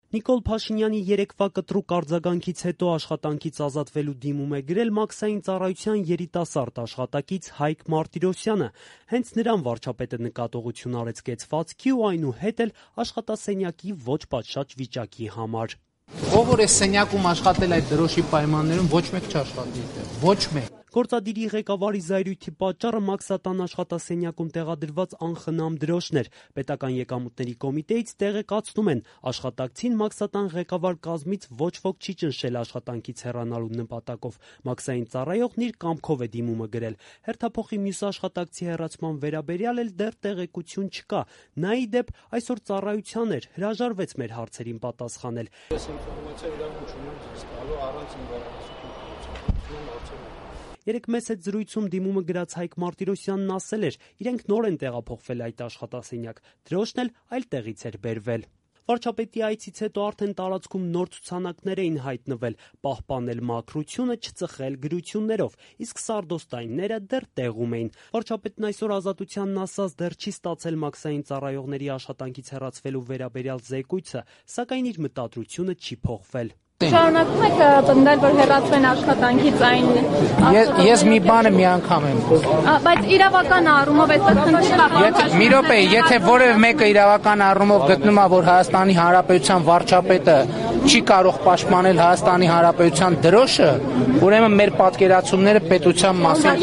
Նիկոլ Փաշինյանի երեկվա կտրուկ արձագանքից հետո աշխատանքից ազատվելու դիմում է գրել մաքսային ծառայության երիտասարդ աշխատակից Հայկ Մարտիրոսյանը։ Հենց նրան վարչապետը նկատողություն արեց կեցվածքի ու այնուհետ էլ աշխատասենյակի ոչ պատշաճ վիճակի համար։ Ով որ է սենյակում աշխատել այդ դրոշի պայմաններում, ոչ մեկ չաշխատի այդտեղ, ոչ մեկ։ Գործադիրի ղեկավարի զայրույթի պատճառը Մաքսատան աշխատասենյակում տեղադրված անխնամ դրոշն էր։ Պետական եկամուտների կոմիտեից տեղեկացնում են, աշխատակցին Մաքսատան ղեկավար կազմից ոչ ոք չի ճնշել աշխատանքից հեռանալու նպատակով։ Մաքսային ծառայողն իր կամքով է դիմումը գրել։ Հերթափոխի մյուս աշխատակցի հեռացման վերաբերյալ էլ դեռ տեղեկություն չկա։ Նա ի դեպ այսօր ծառայության էր, հրաժարվեց մեր հարցերին պատասխանել։ Երեկ մեծ հետ զրույցում դիմումը գրած Հայկ Մարտիրոսյանն ասել էր, իրենք նոր են տեղափոխվել այդ աշխատասենյակ, դրոշն էլ այլ տեղից էր բերվել։ Վարչապետի այցից հետո արդեն տարածքում նոր ցուցանակներ էին հայտնվել, պահպանել մաքրությունը, չծխել գրություններով, իսկ սարդոստայինները դեռ տեղում էին։ Վարչապետն այսօր Ազատությանն ասաց, դեռ չի ստացել մաքսային ծառայողների աշխատանքից հեռացվելու վերաբերյալ զեկույցը, սակայն իր մտադրությունը չի փոխվել։ Շարունակում եք պնդել, որ հեռացվեն աշխատանքից այն... Ես մի բանը մի անգամ եմ։ Բայց իրավական առումով այդպես չկա։ Մի րոպե, եթե որևէ մեկը իրավական առումով գտնում է, որ Հայաստանի Հանրապետության վարչապետը չի կարող պաշտպանել Հայաստանի Հանրապետության դրոշը, ուրեմն մեր պատկերացումները պետության մասին։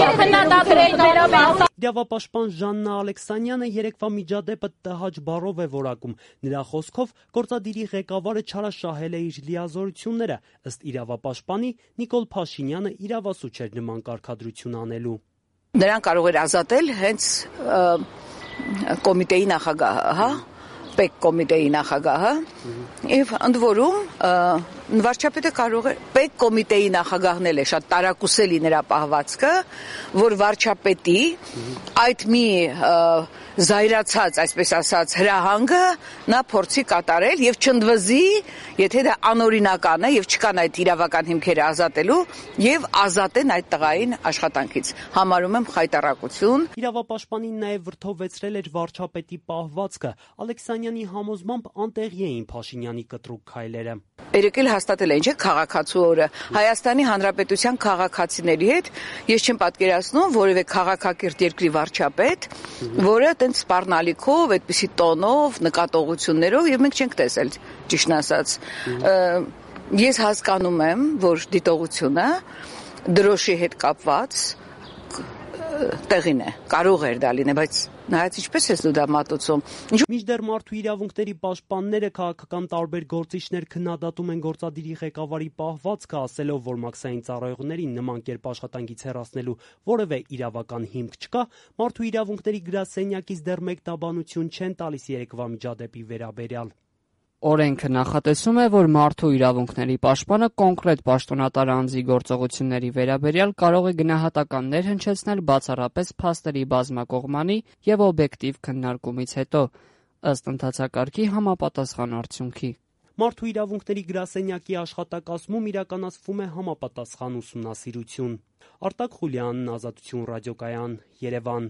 Իրավապաշտպան Ժաննա Ալեքսանյանը երեկվա միջադեպը տհաճ բառով է որակում։ Նրա խոսքով գործադիրի ղեկավարը չարաշահել է իր լիազորությունները, ըստ իրավապաշտպանի Նիկոլ Փաշինյանը իրավասու չէր նման կարգադրություն անելու։ Նրան կարող էր ազատել հենց կոմիտեի նախագահը, ՊԵԿ կոմիտեի նախագահը, եւ ընդ որում վարչապետը կարող է ՊԵԿ կոմիտեի նախագահն էլ է շատ տարակուսելի նրա պահվածքը, որ վարչապետի այդ մի զայրացած, այսպես ասած, հրահանգը նա փորձի կատարել եւ չընդվզի, եթե դա անօրինական է եւ չկան այդ իրավական հիմքերը ազատելու եւ ազատեն այդ տղային աշխատանքից։ Համարում եմ խայտառակություն։ Իրավապաշտպանին նաեւ վրթովեցրել էր վարչապետի պահվածքը։ Ալեքսանյանի համոզմամբ անտեղի էին Փաշինյանի կտրուկ քայլերը։ Երեկել հաստատել են, չէ՞, քաղաքացու օրը Հայաստանի Հանրապետության քաղաքացիների հետ ես չեմ պատկերացնում որևէ քաղաքակիրթ երկրի վարչապետ, որը այդպես սպառնալիքով, այդպիսի տոնով, նկատողություններով եւ մենք չենք տեսել, ճիշտն ասած։ Ես հասկանում եմ, որ դիտողությունը դրոշի հետ կապված տեղին է, կարող էր դա լինել, բայց նայած ինչպես ես դու դա մատուցում։ Մինչդեռ մարդու իրավունքների պաշտպանները, քաղաքական տարբեր գործիչներ քննադատում են գործադիրի ղեկավարի պահվածքը, ասելով, որ մաքսային ծառայողներին նման կերպ աշխատանքից հեռացնելու որևէ իրավական հիմք չկա, մարդու իրավունքների գրասենյակից դեռ մեկ տաբանություն չեն տալիս երեկվա միջադեպի վերաբերյալ։ Օրենքը նախատեսում է, որ մարդու իրավունքների պաշտպանը կոնկրետ պաշտոնատար անձի գործողությունների վերաբերյալ կարող է գնահատականներ հնչեցնել բացառապես փաստերի բազմակողմանի եւ օբյեկտիվ քննարկումից հետո, ըստ ընթացակարգի համապատասխան արդյունքի։ Մարդու իրավունքների գրասենյակի աշխատակազմում իրականացվում է համապատասխան ուսումնասիրություն։ Արտակ Խուլյանն, Ազատություն ռադիոկայան, Երևան։